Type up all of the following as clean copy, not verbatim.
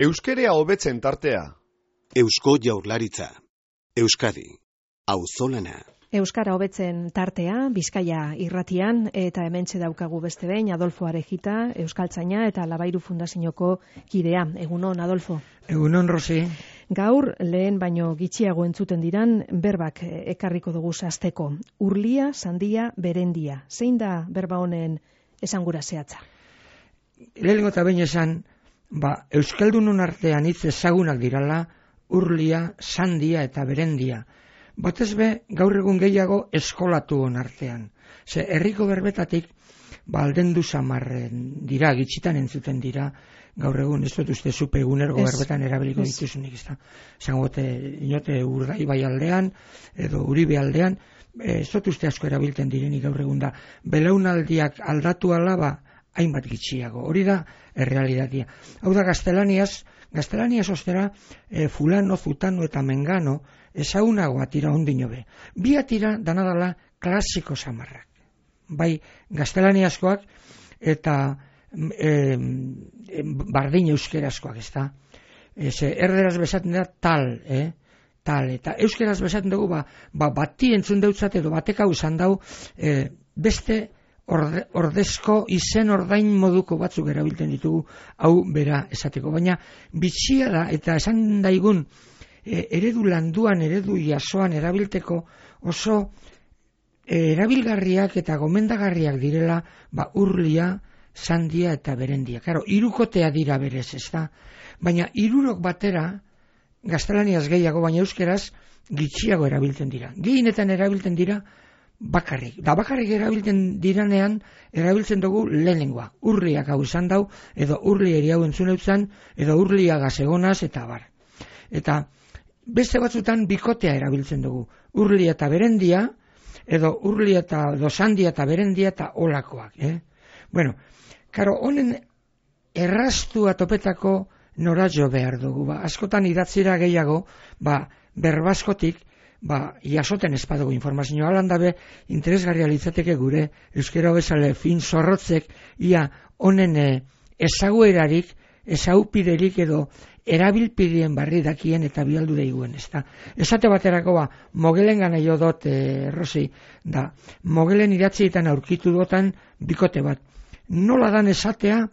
Euskerea hobetzen tartea. Eusko Jaurlaritza. Euskadi. Auzolana. Euskara hobetzen tartea, Bizkaia irratian, eta hementxe daukagu beste behin, Adolfo Arejita, Euskaltzaina eta Labairu Fundazioko kidea. Egunon, Adolfo. Egunon, Rosi. Gaur, lehen baino gitxiago entzuten diran, berbak ekarriko dugu zazteko. Urlia, sandia, berendia. Zein da berba honen esangura zehatza? Lehenengo eta behin esan, Euskaldunon artean hitz ezagunak dirala, urlia, sandia eta berendia. Batez be, gaur egun gehiago eskolatuon artean. Ze, herriko berbetatik, aldendu samarren dira, gitxitan entzuten dira, gaur egun, ez dut uste zupe egunergo berbetan erabiliko dituzunik, ez da. Zangote, inote Urdaibai aldean, edo Uribe aldean, ez dut uste asko erabiltzen direnik gaur egun da. Belaunaldiak aldatu alaba, hainbat gitxiago. Hori da, errealitatea. Hau da, gaztelaniaz ostera, fulano, zutano eta mengano, ezagunagoa tira ondino be. Bi atira danadala klasiko samarrak. Bai, gaztelaniazkoak eta bardin euskerazkoak, ez da. Erderaz besaten da tal, tal. Eta euskeraz besaten dugu, bati entzun deutzat edo batek hau izan dau, beste ordezko izen ordain moduko batzuk erabiltzen ditugu hau bera esateko. Baina bitxia da eta esan daigun eredu landuan, eredu jasoan erabilteko oso erabilgarriak eta gomendagarriak direla urlia, sandia eta berendia. Claro, hirukotea dira berez, ez da? Baina hirurok batera gaztelaniaz gehiago, baina euskeraz gitxiago erabiltzen dira. Gehienetan erabiltzen dira bakarrik. Da bakarrik erabiltzen diranean, erabiltzen dugu lehenengoa. Urliak hau izan dau, edo urlieri hau entzun eutzan, edo urlia gazegonaz, eta bar. Eta beste batzutan bikotea erabiltzen dugu. Urlia eta berendia, edo urlia eta sandia eta berendia eta olakoak. Bueno, karo, honen erraztua topetako nora jo behar dugu. Askotan idatzira gehiago, berbaskotik, jasoten espadugu informazioa. Halan dabe, interesgarria litzateke gure euskera bezale fin zorrotzek, ia honen ezaguerarik, ezaupiderik edo erabilpidien barri dakien eta bialdu daiguen, ez da. Esate baterako mogelen gana jo dot, Rosi, da, mogelen idatzietan aurkitu dotan bikote bat. Nola dan esatea,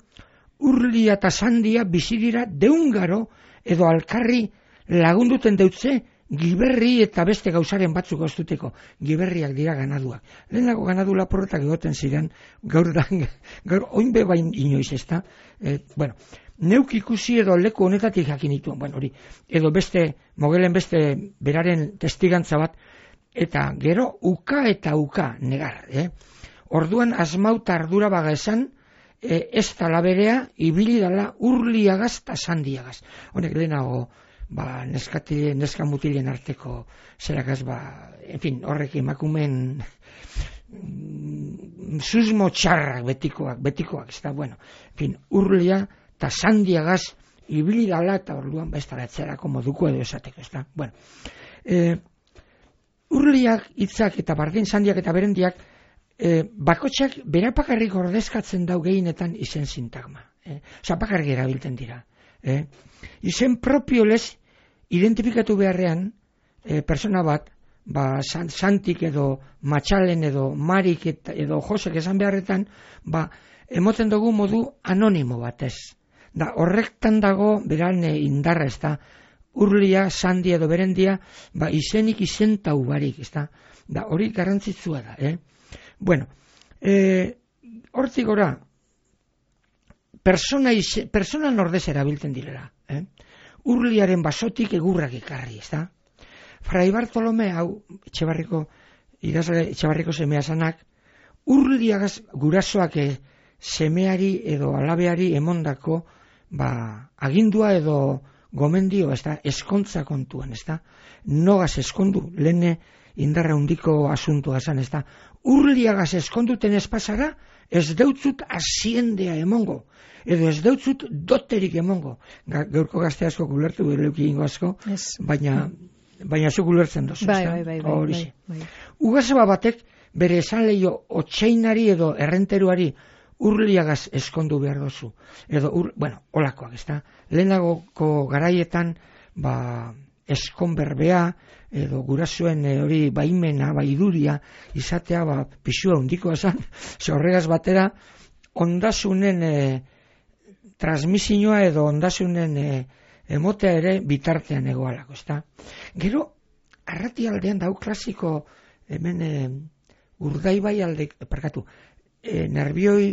urlia eta sandia bizidira deungaro edo alkarri lagunduten deutze, giberri eta beste gauzaren batzuk oztuteko. Giberriak dira ganaduak. Lehenago ganadu laporretak egoten ziren, gaur oinbe bain inoiz, ez da. Neuk ikusi edo leku honetatik jakin dituen, hori, edo mogelen beste beraren testigantza bat, eta gero uka eta uka negar. Orduan asmauta ardura baga esan, ez tala berea, ibili dala urliagaz eta sandiagaz. Honek lehenago, neska mutilen arteko zerakaz, en fin, horrek emakumen susmo txarrak betikoak, ez da, bueno, en fin, urlia eta sandiagaz ibili dala eta orduan bestaratzerako moduko edo esateko, ez da, bueno. Urliak, hitzak eta bardin sandiak eta berendiak, bakotxak berapakarrik ordezkatzen dau gehienetan izen sintagma. Bakarrik erabiltzen dira. Izen propio lez identifikatu beharrean persona bat, santik edo matxalen edo marik edo josek esan beharretan, emoten dugu modu anonimo batez. Da horrektan dago beran indarra, ez da, urlia, sandia edo berendia, izenik izentau barik, ez da. Da hori garrantzitsua da, Bueno, hortzik gora, persona nordez erabiltzen direla. Urliaren basotik egurrak ekarri, ez da? Fray Bartolome, hau, Etxebarriko semea zanak, urliagaz gurasoak semeari edo alabeari emondako agindua edo gomendio, ez da, eskontza kontuan, ez da? Nogaz eskondu, lehene indarra hundiko asuntua zan, ez da? Urliagaz eskonduten espazara, ez deutzut asiendea emongo, edo ez deutzut doterik emongo. Gaurko gazte asko gulertu, leuki ingo asko, baina zu gulertzen dozu. Bai. Ugazaba batek bere esan lehio otxeinari edo errenteruari urliagaz eskondu behar dozu. Edo, olakoak, ezta? Lehenagoko garaietan, eskonberbea, edo gurasuen hori baimena, baiduria, izatea, pisua hundikoa zan, horregaz batera, ondasunen transmisioa edo ondasunen emotea ere bitartean egoalako, ezta? Gero, Arratialdean dau klasiko, hemen Urdaibai alde, Nerbioi,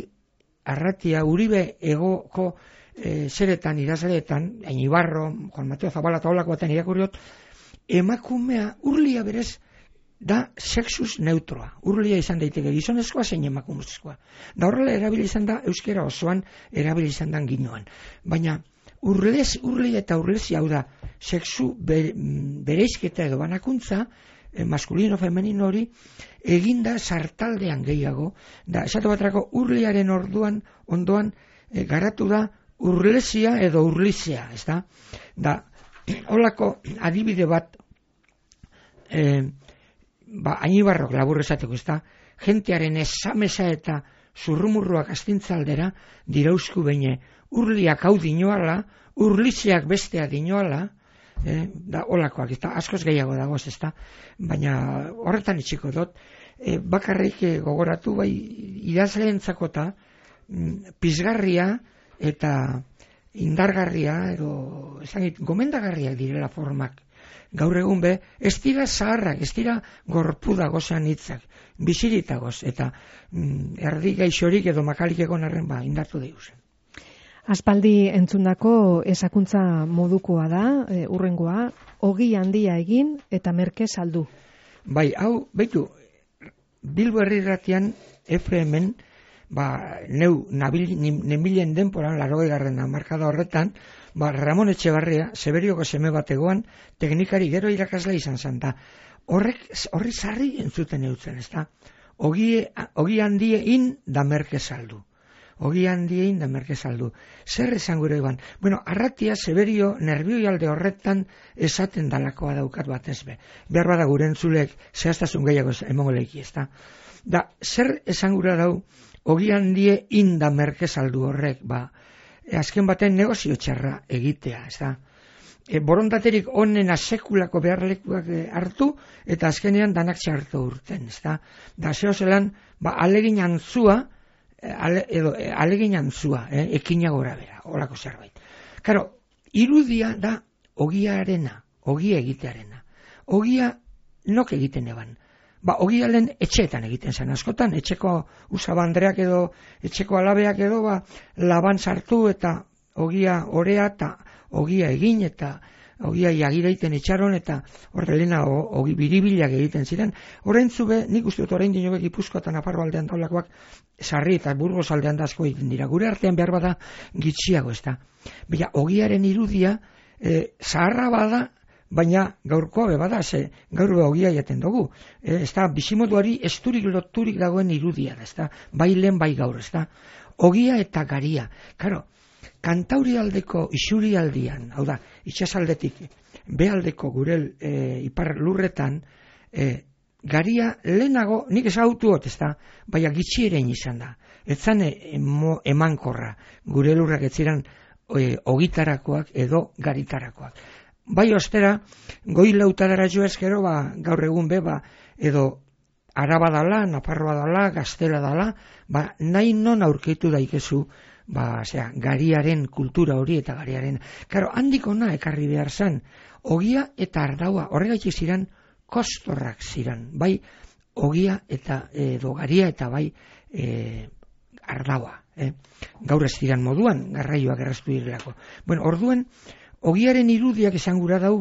Arratia, Uribe egoko zeretan, idazleetan, Ainibarro, Juan Mateo Zabala eta holako baten irakurriot, emakumea, urlia berez, da sexus neutroa. Urlia izan daiteke gizonezkoa zein emakumezkoa. Da horrela erabili izan da, euskera osoan erabili izan da ginoan. Baina, urlia eta urlesi hau da, sexu bereizketa edo banakuntza, maskulino, femenino hori, eginda sartaldean gehiago, da, esatu baterako urliaren ondoan, garatu da, urlesia edo urlizea, ez da? Da, holako adibide bat, Ainibarrok labur esateko, ez da? Jentearen esamesa eta zurrumurruak astintzaldera dirauzku beine, urliak hau dinoala, urliziak bestea dinoala, da olakoak, ez da, askoz gehiago dagoz, ez da, baina horretan itxiko dut, bakarrik gogoratu, bai, idazleentzako eta pizgarria eta indargarria, edo, gomendagarriak direla formak. Gaur egun be, ez dira zaharrak, ez dira gorpuda gozan hitzak, biziritagoz, eta erdi gaixorik edo makalik egon arren indartu deusen. Aspaldi entzundako ezakuntza modukoa da, urrengoa, ogi handia egin eta merke saldu. Bai, hau, beitu, Bilbo Herrirratian FM-en, neu nemilen denporan, 80. hamarkada horretan, Ramon Etxebarria, Seberioko seme bategoan, teknikari gero irakasle izan zen da. Horri sarri entzuten eutzen, ez da? Ogi handiein da merke saldu. Ogi handiein da merke saldu. Zer esan gure iban? Bueno, Arratia, Seberio, Nerbioi alde horretan esaten dalakoa daukat batez be. Behar bada gure entzulek zehaztasun gehiago emongo leiki, ez da? Da, zer esan gure dau, ogi handiein da merke saldu horrek, azken baten negozio txarra egitea, ez da? Borondaterik onena sekulako beharlekuak hartu, eta azkenean danak txartu urten, ez da? Da, zehozelan, alegin antzua, ekina gora bera, horako zerbait. Karo, irudia da ogiarena, ogia egitearena. Ogia nok egiten eban. Ogia lehen etxeetan egiten zen askotan, etxeko usabandreak edo, etxeko alabeak edo, laban sartu eta ogia orea eta ogia egin eta ogia jagireiten etxaron eta horrelena ogi biribilak egiten ziren. Horreintzu be, nik uste dut orain dinobek Gipuzkoa eta Nafarro aldean daulakoak Sarri eta Burgos aldean da asko egiten dira. Gure artean behar bada gitxiago, ez da. Baina, ogiaren irudia zaharra bada, baina gaurkoa be bada, gaur be ogia jaten dugu. Ez da, bizimoduari esturik loturik dagoen irudia, ez da. Bai lehen, bai gaur, ez da. Ogia eta garia. Karo, Kantaurialdeko isurialdian, hau da, itxasaldetik, bealdeko gure ipar lurretan, garia lehenago, nik ezagutuot, ez da, baina gitxieren izan da. Etzan emankorra, gure lurrak etziran ogitarakoak edo garitarakoak. Bai ostera, goi lautadara joaz gero, gaur egun be, edo Araba dala, Nafarroa dala, Gaztela dala, nahi non aurkitu daikezu, gariaren kultura hori eta gariaren. Karo, handik ona ekarri behar zen, ogia eta ardaua, horregaitik ziren, kostorrak ziren, bai ogia eta garia eta bai ardaua. Gaur ez ziren moduan, garraioak erraztu direlako. Bueno, orduen, ogiaren irudiak esan gura dau,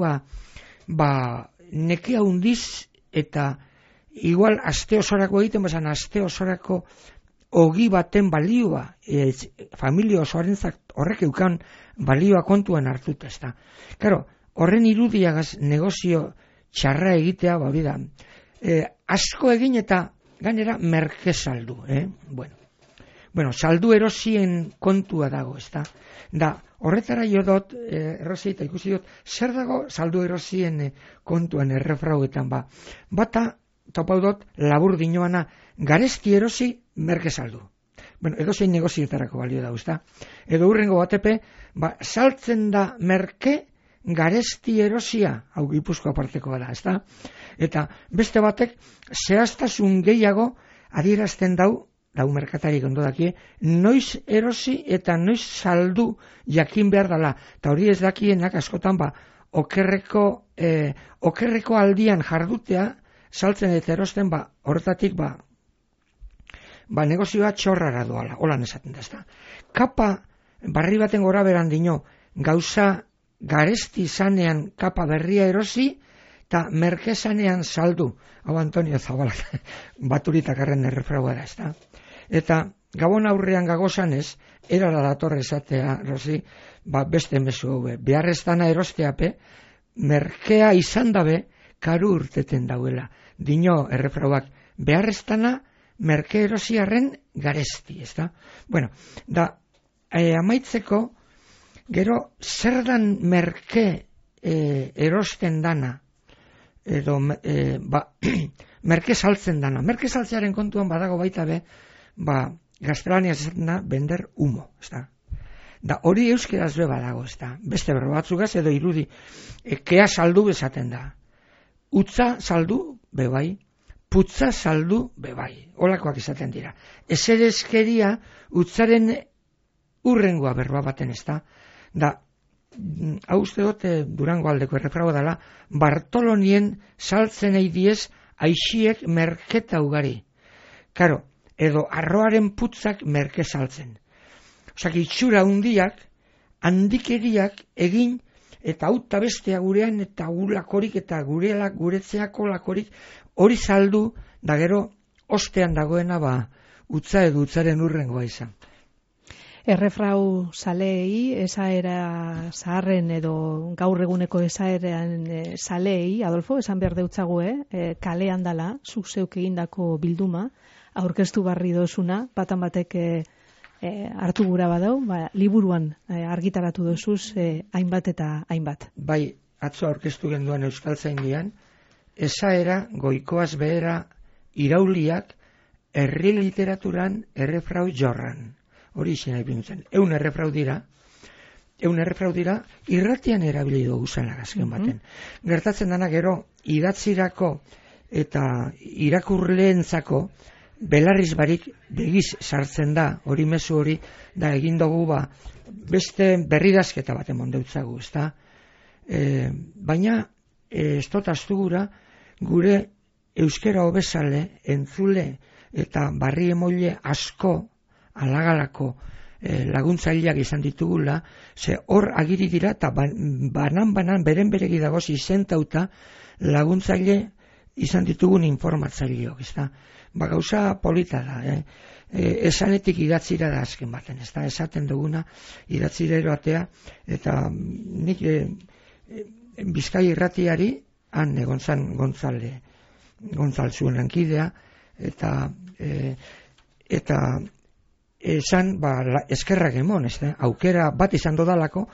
nekea hundiz eta igual aste osorako egiten, aste osorako ogi baten balioa, familia osoarentzat horrek eukan balioa kontuan hartuta, ez da. Karo, horren irudiagaz negozio txarra egitea, hori da, asko egin eta gainera merke saldu, Bueno, saldu erosien kontua dago, ez da. Da, horretara jo dut, erosita ikusi dut, zer dago saldu erosien kontuan errefrauetan, bata, topau dut, labur dinoana, garezki erosi, merke saldu. bueno, edozein negozietarako balio da, ezta? Edo hurrengo batepe, saltzen da merke garesti erosia, hau Gipuzkoa partekoa da, ezta? Eta beste batek zehaztasun gehiago adierazten dau merkatarik ondo dakie, noiz erosi eta noiz saldu jakin behar dela. Eta hori ez dakienak askotan okerreko aldian jardutea saltzen eta erosten horretatik negozioa txorrara doala, holan esaten da, ezta. Kapa barri baten gora beran dino, gauza garesti zanean kapa berria erosi, eta merke zanean saldu. Hau Antonio Zabala, Baturitarren errefraua da, ezta. Eta gabon aurrean gagozanez, erara datorre esatea, Rosi, beste mezu hau, beharreztana erosteape, merkea izan dabe, karu urteten dauela. Dino errefrauak, beharreztana merke erosiarren garesti, ezta? Bueno, amaitzeko, gero, zer dan merke erosten dana, edo merke saltzen dana. Merke saltzearen kontuan badago baita be, gaztelaniaz esaten da, bender humo, ezta? Da hori euskeraz be badago, ezta? Beste berro batzugaz edo irudi, kea saldu bezaten da. Utza saldu bebai, putza saldu bebai. Holakoak izaten dira. Eserezkeria utzaren urrengoa berroa baten, ezta? Da, hau uste dut Durango aldeko errefrago dela, Bartolonien saltzen eidiez aixiek merketa ugari. Karo, edo arroaren putzak merke saltzen. Osak, itxura hundiak, handikeriak egin, eta hauta bestea gurean, eta gulakorik, eta guretzeako lakorik, hori saldu, da gero, ostean dagoena, utza edo utzaren urrengoa izan. Errefrau zaleei, esaera zaharren edo gaur eguneko esaeran zaleei, Adolfo, esan behar deutzague, kalean dala, zuk zeuk egindako bilduma, aurkeztu barri dozuna, batan batek hartu gura badau, liburuan argitaratu dozuz hainbat eta hainbat. Bai, atzo aurkeztu genduan Euskaltzaindian, esaera goikoaz behera irauliak herri literaturan errefrau jorran. Hori izan ipintzen. Eun errefrau dira, irratian erabili dugu zanak azken baten. Gertatzen dana gero, idatzirako eta irakurleentzako belarriz barik begiz sartzen da, hori mezu hori, da egin dugu beste berridazketa bat emon deutzagu, ezta? Baina, ez dut astugura, gure euskera hobezale, entzule eta barri emoile asko, alagalako laguntzaileak izan ditugula, ze hor agiri dira eta banan beren beregi dagoz izentauta laguntzaile izan ditugun informatzaileok, ezta? Gauza polita da, esanetik idatzira da azken baten, ezta? Esaten duguna idatzira eroatea, eta nik Bizkai irratiari han Gontzal zuen lankidea, eta esan, eskerrak emon, aukera bat izan dodalako,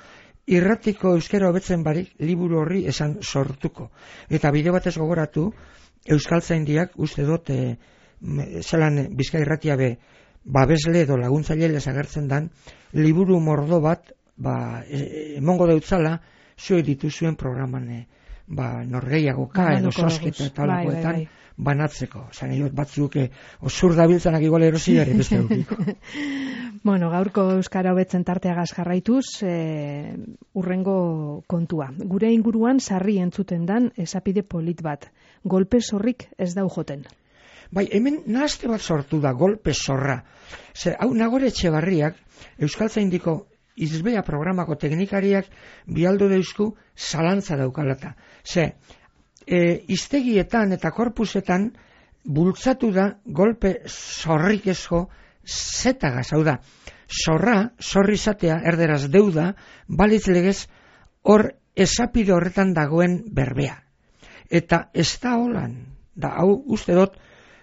irratiko euskera hobetzen barik liburu horri esan sortuko. Eta bide batez gogoratu, Euskaltzaindiak uste dut, zelan Bizkai irratia babesle edo laguntzaile agertzen dan, liburu mordo bat, emongo deutzala, zuek dituzuen programan, norgeiagoka edo sosketa eta olakoetan, banatzeko. Zan egin batzuk osur dabiltzanak igual erosiare beste dukiko. Bueno, gaurko euskara hobetzen tarteagaz jarraituz, urrengo kontua. Gure inguruan sarri entzuten dan esapide polit bat. Golpe zorrik ez dau joten. Bai, hemen nahazte bat sortu da, golpe zorra. Hau Nagore Etxebarriak, Euskaltzaindiko izbea programako teknikariak bialdo deusku zalantza daukalata. Iztegietan eta korpusetan bultzatu da golpe zorrik ezko zetagaz, hau da, zorri izatea, erderaz deuda, balitz legez hor esapide horretan dagoen berbea. Eta ez da holan, da hau uste dut,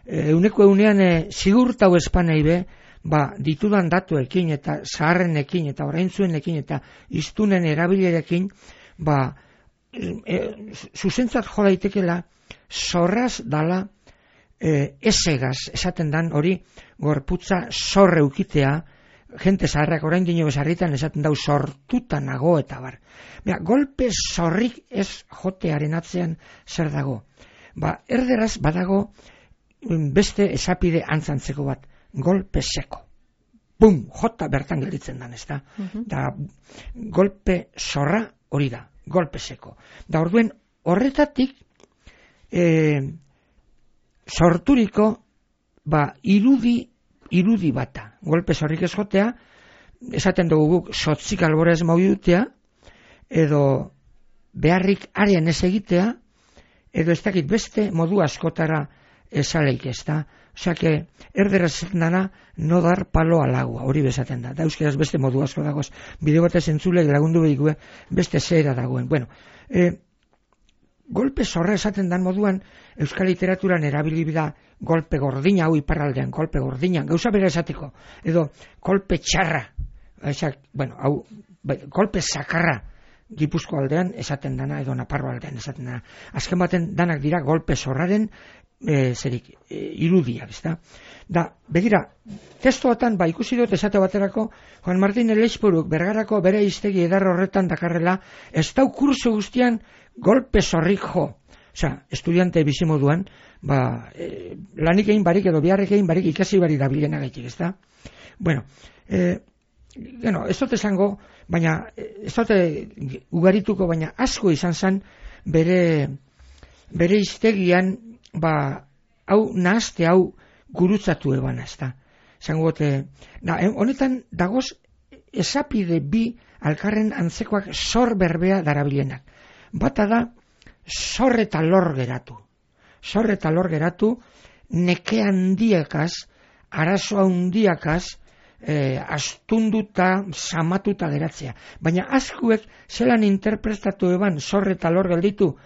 euneko eunean zigurtau espanei be, ditudan datuekin eta zaharrenekin eta oraintzuenekin eta iztunen erabilerekin, zuzentzat jo daitekela zorraz dala esegaz, esaten dan hori gorputza zorre ukitea, jente zaharrak orain dino bezarritan esaten dau sortuta nago eta bar. Golpe zorrik ez jotearen atzean zer dago. Erderaz badago beste esapide antzantzeko bat, golpe seko. Bum, jota bertan gelditzen dan, ezta? Da, golpe zorra hori da, golpe seko. Da, orduen, horretatik sorturiko irudi bata. Golpe zorrik ez jotea, esaten dugu guk sotzik albora ez maudutea, edo beharrik arean ez egitea, edo ez dakit beste modu askotara esaleik ez da. Osak, erderaz esaten dana, no dar palo al agua, hori bezaten da. Da euskeraz beste modu asko dagoz, bideo batez entzulek lagundu behikue, beste zera dagoen. Bueno, golpe zorra esaten dan moduan, euskal literaturan erabilibida golpe gordina, hau iparraldean, golpe gordina, gauza bera esateko, edo golpe txarra, golpe sakarra, Gipuzko aldean esaten dana, edo Naparro aldean esaten dana. Azken baten danak dira golpe zorraren irudiak, ezta? Da, begira, testoatan ikusi dut esate baterako, Juan Martín Eleixpuruk Bergarako bere hiztegi eder horretan dakarrela, ez dau kurso guztian golpe zorrik jo. Osa, estudiante bizimoduan, lanik egin barik edo biharrek egin barik ikasi barik da bilenagaitik, ezta? Bueno, ez dut esango, baina ez dut ugarituko, baina asko izan zen bere hiztegian hau nahazte hau gurutzatu eban, ezta. Honetan dagoz esapide bi alkarren antzekoak zor berbea darabilenak. Bata da zor eta lor geratu. Zor eta lor geratu neke handiakaz, arazo handiakaz, astunduta, samatuta geratzea. Baina askuek zelan interpretatu eban zor eta lor gelditu,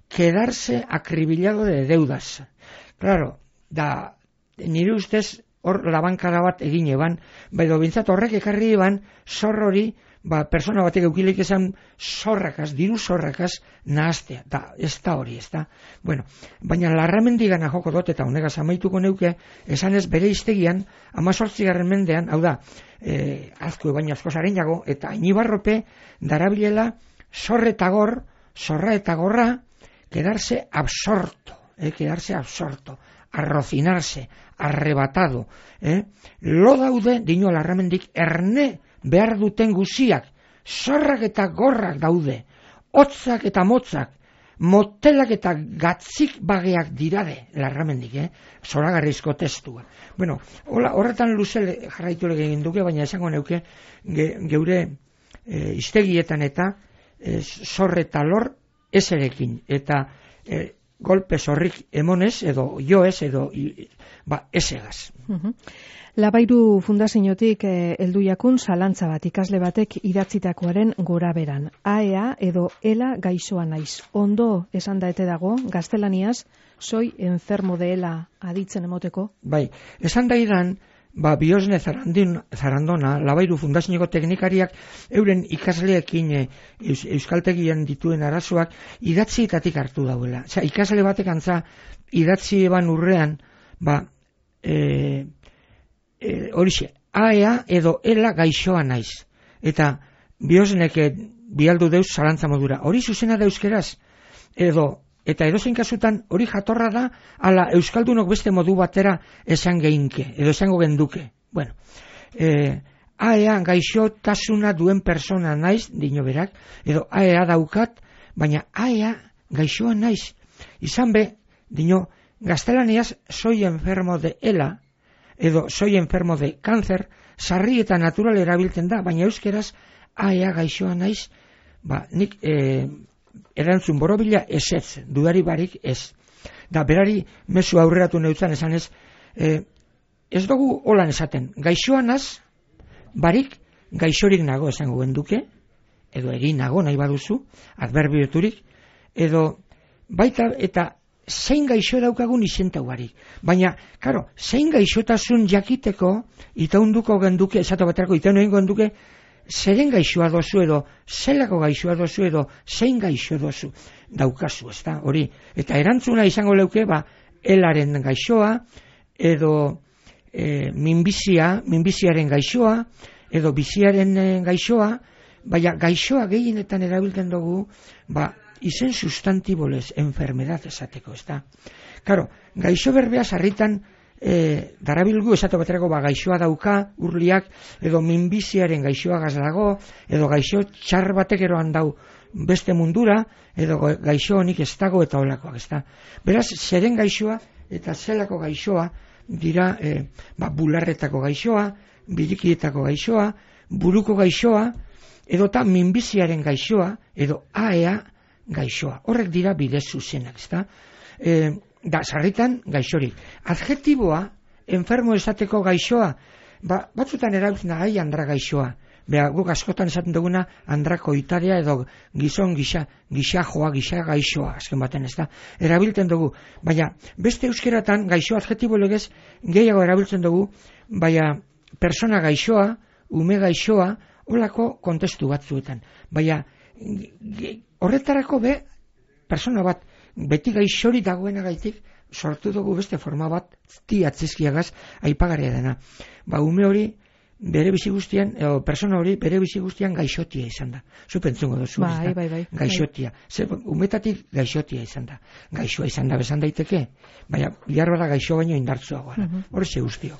quedarse acribillado de deudas. Claro, nire ustez hor labankada bat egin eban, edo bintzat horrek ekarri eban zor hori, persona batek eukileik esan zorrakaz, diru zorrakaz nahaztea, ez da hori, ez da. Bueno, baina Larramendigana joko dut eta honegaz amaituko neuke, esan ez bere hiztegian, 18. mendean, hau da, azko baina asko zareinago, eta Inibarrope darabilela zorra eta gorra, quedarse absorto, arrocinarse, arrebatado. Lo daude, dino Larramendik, erne behar duten guziak, zorrak eta gorrak daude, hotzak eta motzak, motelak eta gatzik bageak dirade, Larramendik, zoragarrizko testua. Bueno, horretan luze jarraitu egin duke, baina esango neuke, geure hiztegietan eta zor eta lor ezerekin, eta golpe zorrik emonez, edo joez, edo ezegaz. Labairu fundaziotik heldu jakun zalantza bat ikasle batek idatzitakoaren gora beran. AEA edo ELA gaixoa naiz. Ondo esan daete dago, gaztelaniaz, soy enfermo de ELA aditzen emoteko? Bai, esan daidan, Biosne Zarandona, Labairu fundazioko teknikariak euren ikasleekin euskaltegian dituen arazoak idatzietatik hartu dauela. Osea, ikasle batek antza idatzi eban urrean, horixe, AEA edo ELA gaixoa naiz. Eta Biosnek bialdu deuz zalantza modura. Hori zuzena da euskeraz, eta edozein kasutan hori jatorra da, ala euskaldunok beste modu batera esan geinke, edo esango genduke. Bueno, AEA gaixotasuna duen persona naiz, dino berak, edo AEA daukat, baina AEA gaixoa naiz. Izan be, dino, gaztelaniaz soy enfermo de ELA, edo soy enfermo de cáncer, sarri eta natural erabiltzen da, baina euskeraz AEA gaixoa naiz, nik erantzun borobila ezetz, dudari barik ez. Da, berari mezu aurreratu neutzan esan ez, ez dugu holan esaten, gaixoa naz, barik gaixorik nago esango genduke, edo egin nago nahi baduzu, adverbioturik, edo baita eta zein gaixo daukagun izentau barik. Baina, karo, zein gaixotasun jakiteko, itaunduko genduke, esatu baterako itaun egin genduke, zeren gaixoa dozu edo, zelako gaixoa dozu edo, zein gaixo dozu daukazu, ez da, hori. Eta erantzuna izango leuke, elaren gaixoa, edo minbiziaren gaixoa, edo biziaren gaixoa, baina gaixoa gehienetan erabiltzen dugu, izen sustantibolez, enfermedad esateko, ez da. Karo, gaixo berbea sarritan darabilgu esate baterako gaixoa dauka urliak, edo minbiziaren gaixoa dago, edo gaixo txar batek eroan dau beste mundura, edo gaixo honik ez dago eta olakoak, ez da. Beraz, zeren gaixoa eta zelako gaixoa dira bularretako gaixoa, birikietako gaixoa, buruko gaixoa, edota minbiziaren gaixoa, edo AEA gaixoa. Horrek dira bide zuzenak, ez da. Da, sarritan gaixorik. Adjetiboa, enfermo esateko gaixoa, batzutan erabiltzen da, andra gaixoa. Guk askotan esaten duguna andrakoitarea edo gizon gixajoa, gixa gaixoa, azken baten, ez da. Erabiltzen dugu, baina beste euskeratan gaixo adjetibo legez gehiago erabiltzen dugu, baina persona gaixoa, ume gaixoa, holako kontestu batzuetan. Baina horretarako persona bat beti gaixori dagoenagaitik sortu dugu beste forma bat atzizkiagaz aipagarria dena. Ume hori bere bizi guztian, persona hori bere bizi guztian gaixotia izan da. Zu pentzungo duzu, bai. Gaixotia. Umetatik gaixotia izan da. Gaixoa izan da bezan daiteke, baina biharbada gaixo baino indartzuagoa. Horixe guztio.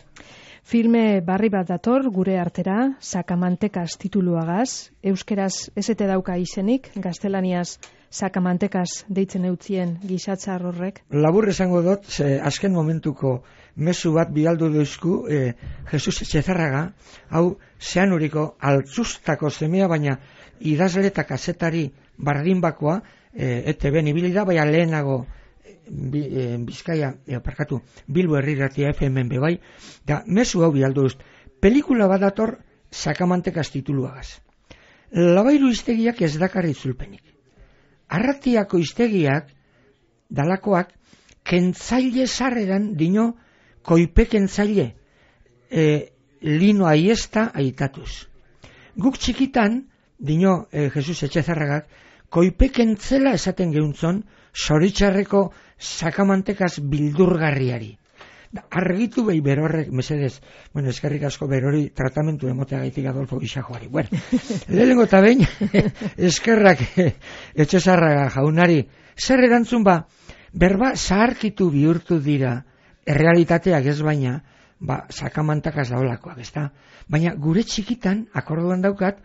Filme barri bat dator gure artera, Sakamantekas tituluagaz, euskeraz esete dauka izenik, gaztelaniaz Sakamantekas deitzen eutzien gisatzar horrek. Labur esango dut, azken momentuko mezu bat bialdu duzku, Jesus Etxezarraga, hau zeanuriko altzustako semea, baina idazle eta kazetari bardinbakoa, ETB-n ibili da, baina lehenago Bizkaia, Bilbo Herriratia FM-en bebai, da mezu hau bialdu duz. Pelikula bat dator Sakamantekas tituluagaz. Labairu iztegiak ez dakarri itzulpenik. Arratiako iztegiak, dalakoak, kentzaile sarreran dino koipe kentzaile, lino aiesta aitatuz. Guk txikitan, dino Jesus Etxezarragak, koipe kentzela esaten geuntzon, zoritxarreko Sakamantekas bildurgarriari. Argitu behi berorrek, mesedez, eskerrik asko berori tratamentu emoteagaitik Adolfo Gixajoari. Lehenengo eta behin, eskerrak Etxezarraga jaunari, zer erantzun berba zaharkitu bihurtu dira, errealitateak ez baina, Sakamantekas daolakoak, ez da? Baina gure txikitan, akorduan daukat,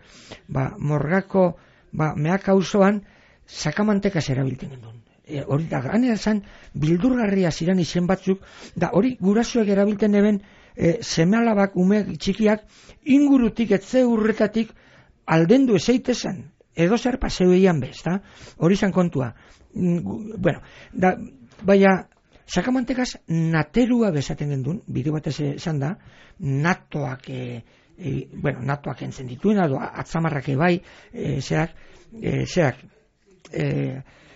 morgako, meak auzoan, Sakamantekas erabiltzen genuen. Hori da, ganera zan, bildurgarria ziren izen batzuk, da hori gurasoek erabiltzen eben seme-alabak, ume txikiak, ingurutik, etze urretatik, aldendu ezeitezan, edo zer paseu eian bez, da? Hori zan kontua. Baina, Sakamantekas naterua bezaten gendun, bide batez esan da, natoak entzen dituen, atzamarrak ebai,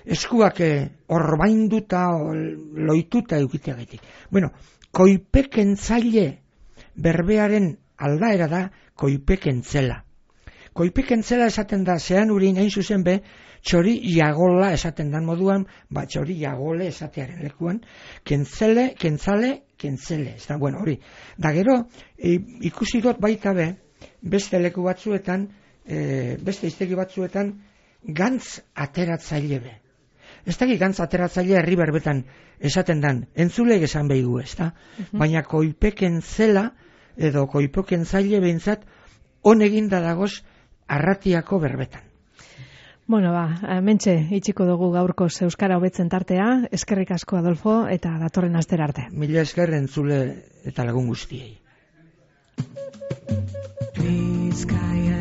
eskuak orbainduta, loituta eukiteagetik. Koipekentzaile berbearen aldaera da koipekentzela. Koipekentzela esaten da, zean urin hain zuzen txori jagola esaten dan moduan, txori jagole esatearen lekuan, kentzale, ez da, hori. Da gero, ikusi dut baita beste leku batzuetan, beste iztegi batzuetan, gantz ateratzaile Ez dakik gantz ateratzaile herri berbetan esaten dan, entzuleek esan behigu, ez da? Baina koipekentzela, edo koipekentzaile behintzat, honegin da dagoz arratiako berbetan. Mentxe, itxiko dugu gaurko euskara hobetzen tartea, eskerrik asko Adolfo, eta datorren astera arte. Mila esker entzule eta lagun guztiei. Bizkaia